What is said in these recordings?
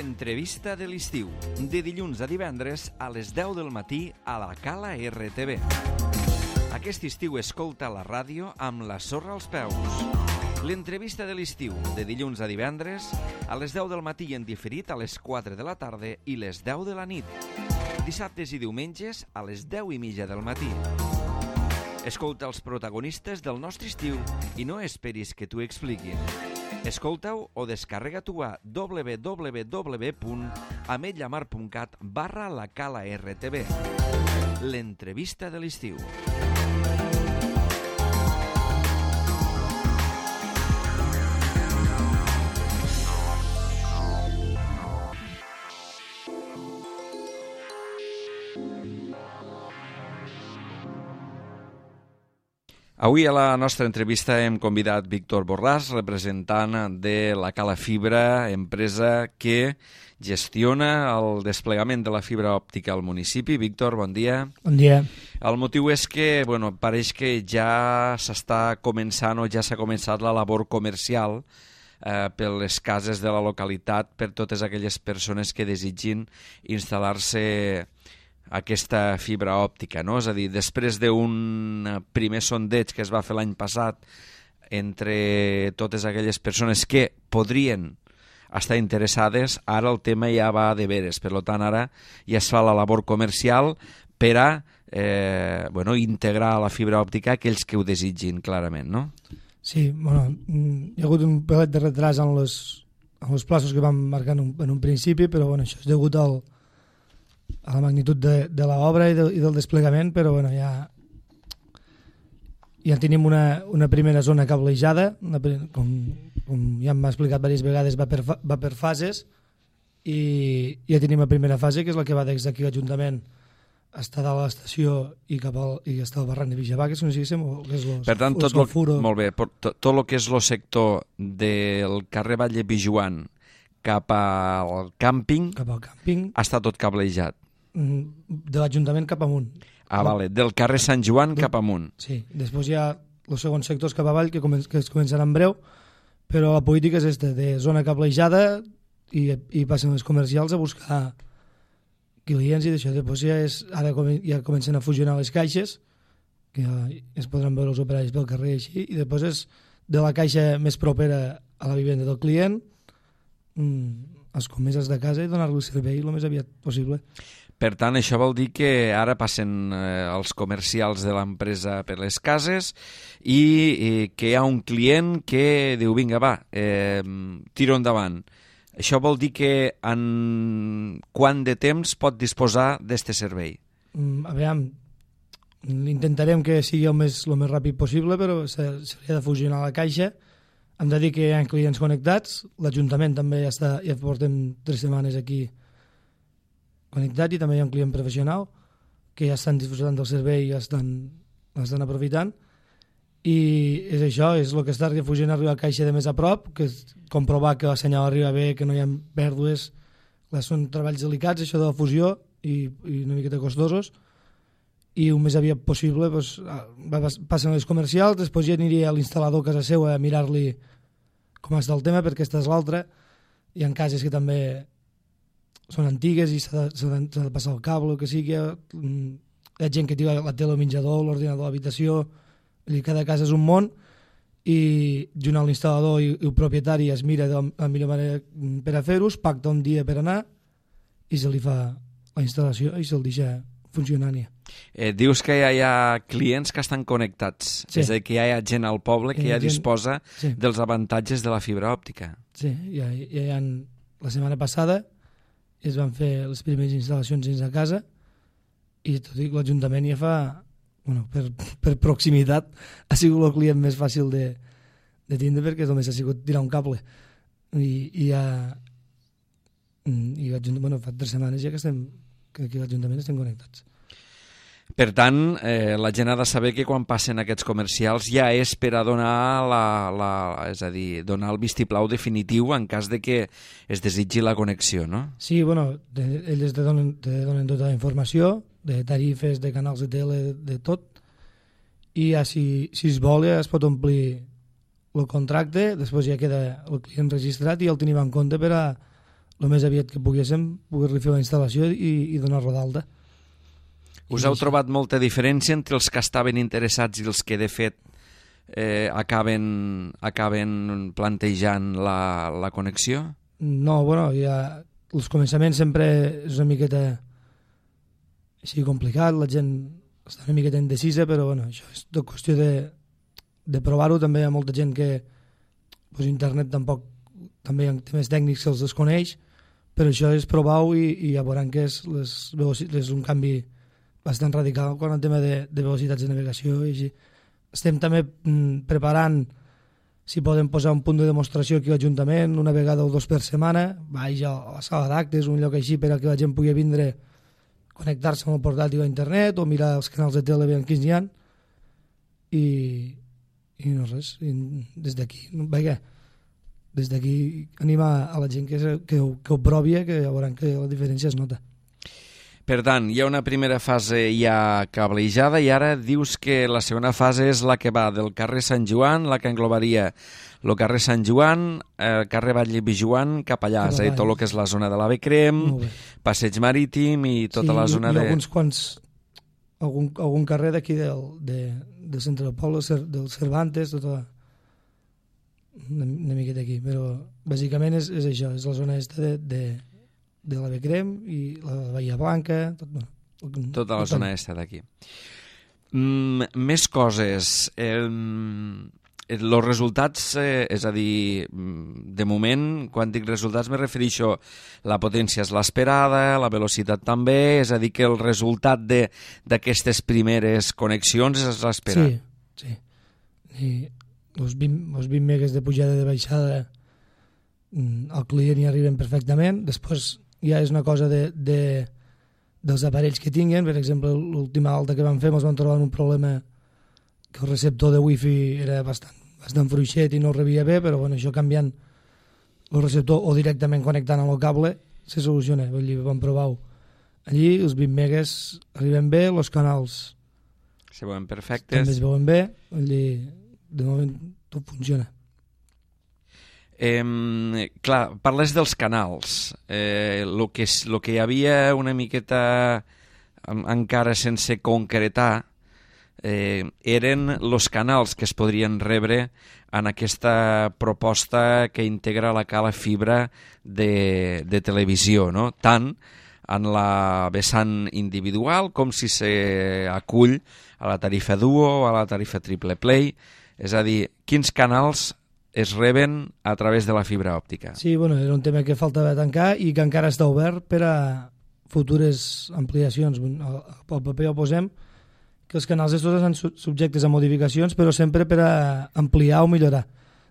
L'entrevista de l'estiu, de dilluns a divendres a les 10 del matí a la Cala RTV. Aquest estiu escolta la ràdio amb la sorra als peus. L'entrevista de l'estiu, de dilluns a divendres a les 10 del matí i en diferit a les 4 de la tarda i les 10 de la nit. Dissabtes i diumenges a les 10:30 del matí. Escolta els protagonistes del nostre estiu i no esperis que t'ho expliquin. Escolta-ho o descarrega-t'ho a www.ametlllamar.cat/la Cala RTV. L'entrevista de l'estiu. Avui a la nostra entrevista hem convidat Víctor Borràs, representant de la Cala Fibra, empresa que gestiona el desplegament de la fibra òptica al municipi. Víctor, bon dia. Bon dia. El motiu és que, pareix que ja s'està començant o ja s'ha començat la labor comercial per les cases de la localitat, per totes aquelles persones que desitgin instal·lar-se aquesta fibra òptica, no? És a dir, després d'un primer sondeig que es va fer l'any passat entre totes aquelles persones que podrien estar interessades, ara el tema ja va de veres. Per tant, ara ja es fa la labor comercial per a integrar la fibra òptica aquells que ho desitgin, clarament, no? Sí, hi ha hagut un pelet de retras en els plaços que vam marcar en un principi, però això és degut a la magnitud de l'obra i del desplegament, però ja tenim una primera zona cablejada, com ja m'ha explicat diverses vegades, va per fases, i ja tenim la primera fase, que és la que va des d'aquí l'Ajuntament està dalt a l'estació i està al barranc de Vixabà, que és on diguéssim, per tant, tot el que és el sector del carrer Vall de Pijuan cap al càmping està tot cablejat. De l'Ajuntament cap amunt. Vale, del carrer Sant Joan cap amunt. Sí, després hi ha els segons sectors cap avall que es començaran en breu, però la política és de zona cablejada i passen els comercials a buscar clients i d'això. Després ara ja comencen a fusionar les caixes, que ja es podran veure els operaris pel carrer així, i després és de la caixa més propera a la vivenda del client, els comerços de casa i donar-li el servei el més aviat possible. Per tant, això vol dir que ara passen els comercials de l'empresa per les cases i que hi ha un client que diu, vinga, va, tiro endavant. Això vol dir que en quant de temps pot disposar d'aquest servei? Intentarem que sigui el més ràpid possible, però s'hauria de fusionar la caixa. Hem de dir que hi ha clients connectats, l'Ajuntament també ja portem 3 setmanes aquí connectat, i també hi ha un client professional que ja estan disfrutant del servei i l'estan aprofitant, i és això, és el que està fusionant la caixa de més a prop, que és comprovar que el senyal arriba bé, que no hi ha pèrdues. Són treballs delicats, això de la fusió, i una miqueta costosos, i el més aviat possible passen les comercials, després ja aniria a l'instal·lador a casa seva a mirar-li com està el tema, perquè aquesta és l'altra. Hi ha cases que també són antigues i s'ha de passar el cable o que sigui. Hi ha gent que té la tele al menjador, l'ordinador a l'habitació, cada casa és un món, i junt amb l'instal·lador i el propietari es mira de la millor manera per a fer-ho, pacta un dia per anar i se li fa la instal·lació i se'l deixa funcionant. Dius que ja hi ha clients que estan connectats, és a dir, que ja hi ha gent al poble que ja disposa dels avantatges de la fibra òptica. Sí, la setmana passada es van fer les primeres instal·lacions dins de casa, i tot i que l'Ajuntament ja fa, per proximitat, ha sigut el client més fàcil de tindre, perquè només ha sigut tirar un cable. I fa 3 setmanes ja que aquí a l'Ajuntament estem connectats. Per tant, la gent ha de saber que quan passen aquests comercials ja és per a donar donar el vistiplau definitiu en cas de que es desitgi la connexió, no? Sí, ells te donen tota la informació, de tarifes, de canals de tele, de tot, i ja si es vol es pot omplir el contracte, després ja queda el client registrat i el tenim en compte per a el més aviat que poguéssim, poder-li fer la instal·lació i donar-lo d'alta. Us heu trobat molta diferència entre els que estaven interessats i els que, de fet, acaben plantejant la connexió? No, bueno, ja els començaments sempre és una miqueta així complicat, la gent està una miqueta indecisa, però bueno, això és tot qüestió de provar-ho. També hi ha molta gent que pues, internet tampoc, també hi ha temes tècnics que els desconeix, però això és provar-ho i ja veuran que és un canvi bastant radical quan el tema de velocitats de navegació i així. Estem també preparant si podem posar un punt de demostració aquí a l'Ajuntament una vegada o dos per setmana, vaig a la sala d'actes, un lloc així per a que la gent pugui vindre, connectar-se amb el portàtil a internet o mirar els canals de tele ben quins n'hi ha i no res, des d'aquí animar a la gent que ho provi, que ja veuran que la diferència es nota. Per tant, hi ha una primera fase ja cablejada i ara dius que la segona fase és la que va del carrer Sant Joan, la que englobaria el carrer Sant Joan, el carrer Batlle Bijuan, cap allà, és a dir, tot el que és la zona de l'Ave Crem, Passeig Marítim i tota la zona de... Sí, i alguns quants, algun carrer d'aquí del centre del poble, del Cervantes, tota una miqueta aquí, però bàsicament és això, és la zona de l'Ave Crem i la Bahia Blanca, tota la zona aquesta d'aquí. Més coses. Els resultats, és a dir, de moment, quan dic resultats me refereixo la potència és l'esperada, la velocitat també, és a dir, que el resultat d'aquestes primeres connexions és l'esperat. Sí. I els 20 megas de pujada i de baixada al client hi arriben perfectament. Després ja és una cosa dels aparells que tinguen. Per exemple, l'última alta que vam fer ens vam trobar un problema que el receptor de wifi era bastant fluixet i no rebia bé, però bueno, això canviant el receptor o directament connectant amb el cable se soluciona. Vull dir, vam provar-ho allí, els 20 megas arriben bé, els canals se veuen perfectes, també es veuen bé, vull dir, de moment tot funciona. Clar, parles dels canals. Lo que hi havia una miqueta encara sense concretar eren els canals que es podrien rebre en aquesta proposta que integra la cala fibra de televisió, no? Tant en la vessant individual com si s'acull a la tarifa duo o a la tarifa triple play. És a dir, quins canals es reben a través de la fibra òptica. Sí, bueno, era un tema que faltava tancar i que encara està obert per a futures ampliacions. Al paper ho posem que els canals estos estan subjectes a modificacions, però sempre per a ampliar o millorar.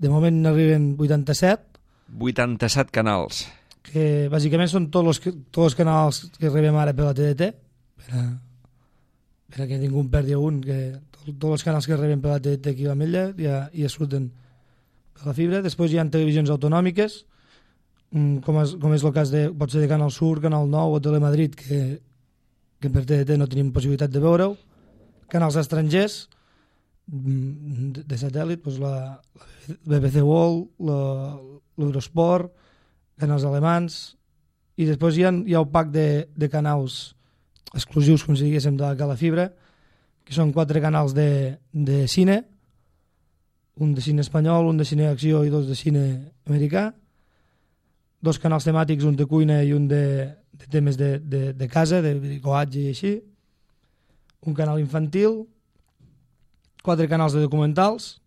De moment n'arriben 87. 87 canals. Que bàsicament són tots els canals que rebem ara per la TDT, per a que ningú en perdi un, que tots els canals que rebem per la TDT aquí a l'Ametlla ja surten per la fibra. Després hi ha televisions autonòmiques, com és el cas pot ser de Canal Sur, Canal 9 o Telemadrid, que per TDT no tenim possibilitat de veure-ho. Canals estrangers de satèl·lit, doncs la BBC World, l'Eurosport, canals alemans, i després hi ha un pack de canals exclusius, com si diguéssim, de la cala fibra, que són 4 canals de cine, un de cine espanyol, un de cine d'acció i 2 de cine americà, 2 canals temàtics, un de cuina i un de temes de casa, de bricolatge i així, un canal infantil, 4 canals de documentals,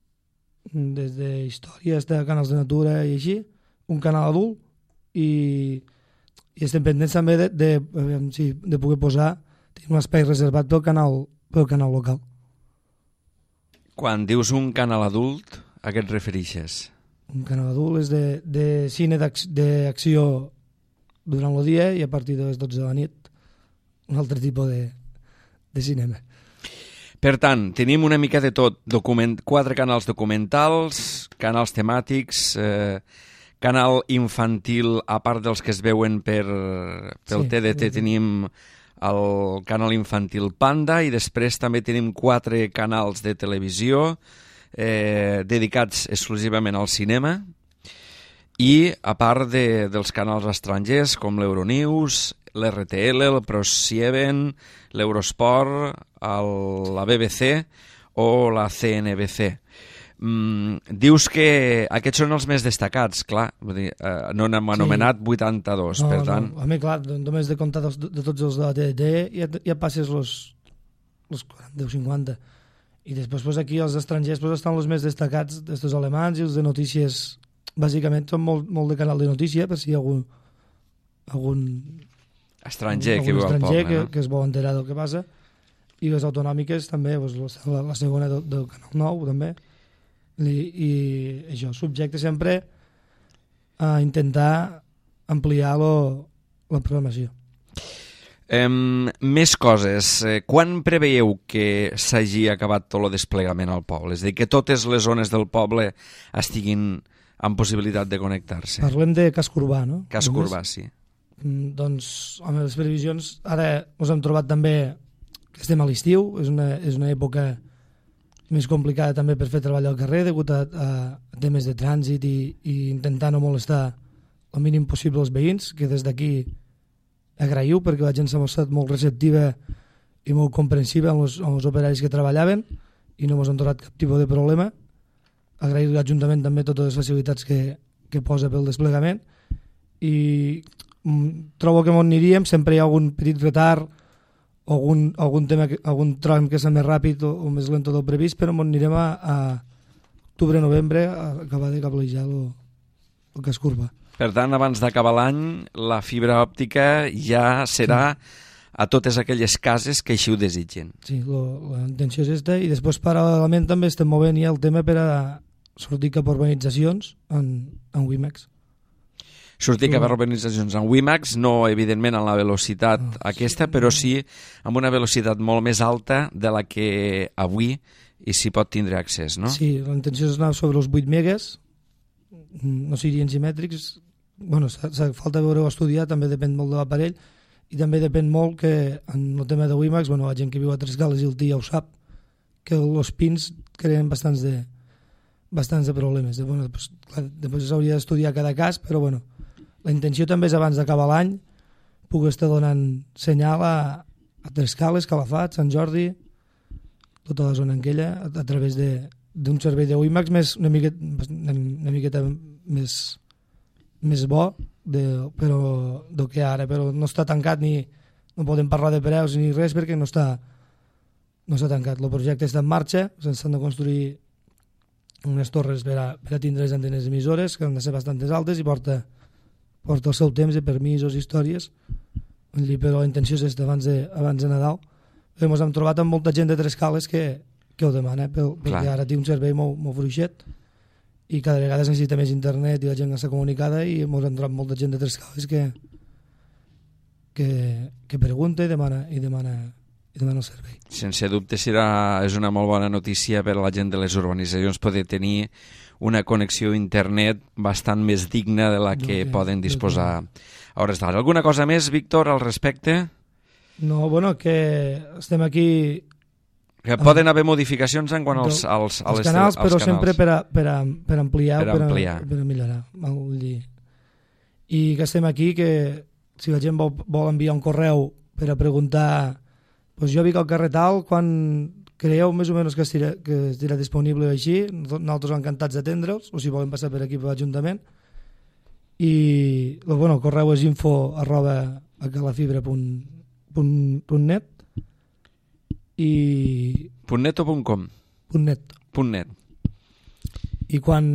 des de històries, de canals de natura i així, un canal adult, i estem pendents també de poder posar, tenim un espai reservat pel canal local. Quan dius un canal adult, a què et refereixes? Un canal adult és de cine d'acció durant el dia i a partir de les 12 de la nit un altre tipus de cinema. Per tant, tenim una mica de tot, 4 canals documentals, canals temàtics, canal infantil, a part dels que es veuen pel TDT, tenim el canal infantil Panda i després també tenim 4 canals de televisió dedicats exclusivament al cinema I a part dels canals estrangers com l'Euronews, l'RTL, el ProSieben, l'Eurosport, la BBC o la CNBC. Dius que aquests són els més destacats, clar, vull dir, no n'hem anomenat 82, per tant... No. A mi, clar, només de comptar de tots els de la TDT ja passes els 40 o 50. I després pues, aquí els estrangers pues, estan els més destacats d'estos alemans i els de notícies, bàsicament són molt de canal de notícia, per si hi ha algun estranger que viu al poble, no? que es vol enterar del que passa. I les autonòmiques també, pues, la segona del Canal 9 també. I això, subjecte sempre a intentar ampliar la programació. Més coses. Quan preveieu que s'hagi acabat tot el desplegament al poble? És a dir, que totes les zones del poble estiguin amb possibilitat de connectar-se? Parlem de casc urbà, no? Casc urbà, sí. Doncs, amb les previsions, ara ens hem trobat també que estem a l'estiu, és una època més complicada també per fer treball al carrer degut a temes de trànsit i intentar no molestar el mínim possible els veïns, que des d'aquí agraïu perquè la gent s'ha mostrat molt receptiva i molt comprensiva amb els operaris que treballaven i no ens han trobat cap tipus de problema. Agrair a l'Ajuntament també totes les facilitats que posa pel desplegament i trobo que on aniríem sempre hi ha algun petit retard o algun tram que és més ràpid o més lento del previst, però on anirem a octubre-novembre a acabar de cablejar el casc urbà. Per tant, abans d'acabar l'any, la fibra òptica ja serà a totes aquelles cases que així ho desitgen. Sí, la intenció és aquesta, i després paral·lelament també estem movent ja el tema per a sortir cap a urbanitzacions en WiMAX. Sortir cap a urbanitzacions en WiMAX, no evidentment en la velocitat aquesta, però sí amb una velocitat molt més alta de la que avui s'hi pot tindre accés, no? Sí, la intenció és anar sobre els 8 megas, no serien simètrics, bueno, falta veure-ho estudiar, també depèn molt de l'aparell, i també depèn molt que en el tema de WiMAX, bueno, la gent que viu a Tres Cales i el TI ja ho sap, que els pins creen bastants de problemes. Bueno, després s'hauria d'estudiar cada cas, però bueno, la intenció també és abans d'acabar l'any puc estar donant senyal a Tres Cales, Calafat, Sant Jordi, tota la zona aquella, a través d'un servei de WiMAX una miqueta més bo però del que ara, però no està tancat ni no podem parlar de preus ni res perquè no està tancat. El projecte està en marxa, s'han de construir unes torres per a tindre les antenes emissores que han de ser bastant altes i porta el seu temps de permisos i històries, però la intenció és abans de Nadal. Ens hem trobat amb molta gent de Tres Cales que ho demana, perquè ara té un servei molt fluixet i cada vegada es necessita més internet i la gent està comunicada i ens hem trobat molta gent de Tres Cales que pregunta i demana el servei. Sense dubte és una molt bona notícia per a la gent de les urbanitzacions poder tenir una connexió a internet bastant més digna de la que poden disposar a hores d'ara. Alguna cosa més, Víctor, al respecte? No, bueno, que estem aquí... Que poden haver modificacions en quant als canals, però sempre per ampliar o per millorar. I que estem aquí, que si la gent vol enviar un correu per a preguntar doncs jo vic al carrer tal, quan creieu més o menys que estirà disponible així, nosaltres encantats d'atendre'ls, o si volen passar per aquí per l'Ajuntament. I el correu és info@calafibra.net i... .net o .com? .net. I quan...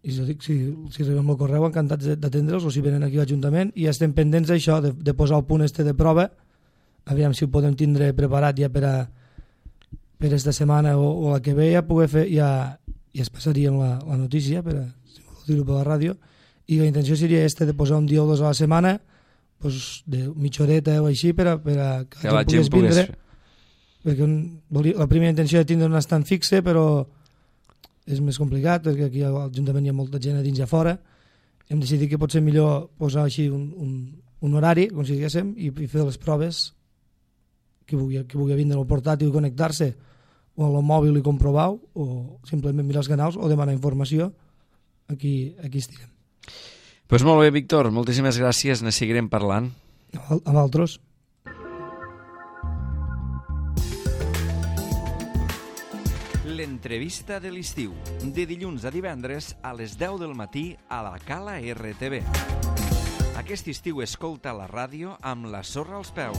I jo dic, si rebem el correu, encantats d'atendre'ls, o si venen aquí a l'Ajuntament, i estem pendents d'això, de posar el punt de prova, aviam si ho podem tindre preparat ja per esta setmana o la que ve, ja poder fer, ja es passaríem la notícia, si vol dir-ho per la ràdio, i la intenció seria de posar un dia o dos a la setmana, de mitja horeta o així, per a que la gent pogués vindre, perquè la primera intenció de tindre un estant fixe, però és més complicat, perquè aquí a l'Ajuntament hi ha molta gent a dins i a fora. Hem decidit que pot ser millor posar així un horari, com si diguéssim, i fer les proves que vulgui vindre al portàtil i connectar-se, o al mòbil i comprovar, o simplement mirar els canals o demanar informació aquí estirem. Pues molt bé, Víctor, moltíssimes gràcies, ne seguirem parlant. A vosaltres. L'entrevista de l'estiu, de dilluns a divendres a les 10 del matí a la Cala RTV. Aquest estiu escolta la ràdio amb la sorra als peus.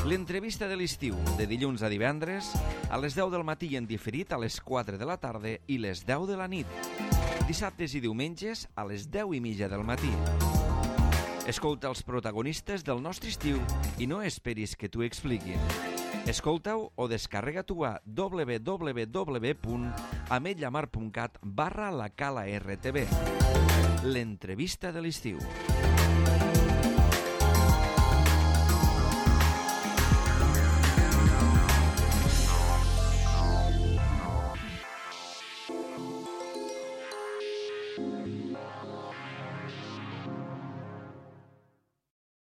L'entrevista de l'estiu, de dilluns a divendres a les 10 del matí i en diferit a les 4 de la tarda i les 10 de la nit. Dissabtes i diumenges a les 10:30 del matí. Escolta els protagonistes del nostre estiu i no esperis que t'ho expliquin. Escolta-ho o descarrega-t'ho a www.ametlllamar.cat/la Cala RTV. L'entrevista de l'estiu.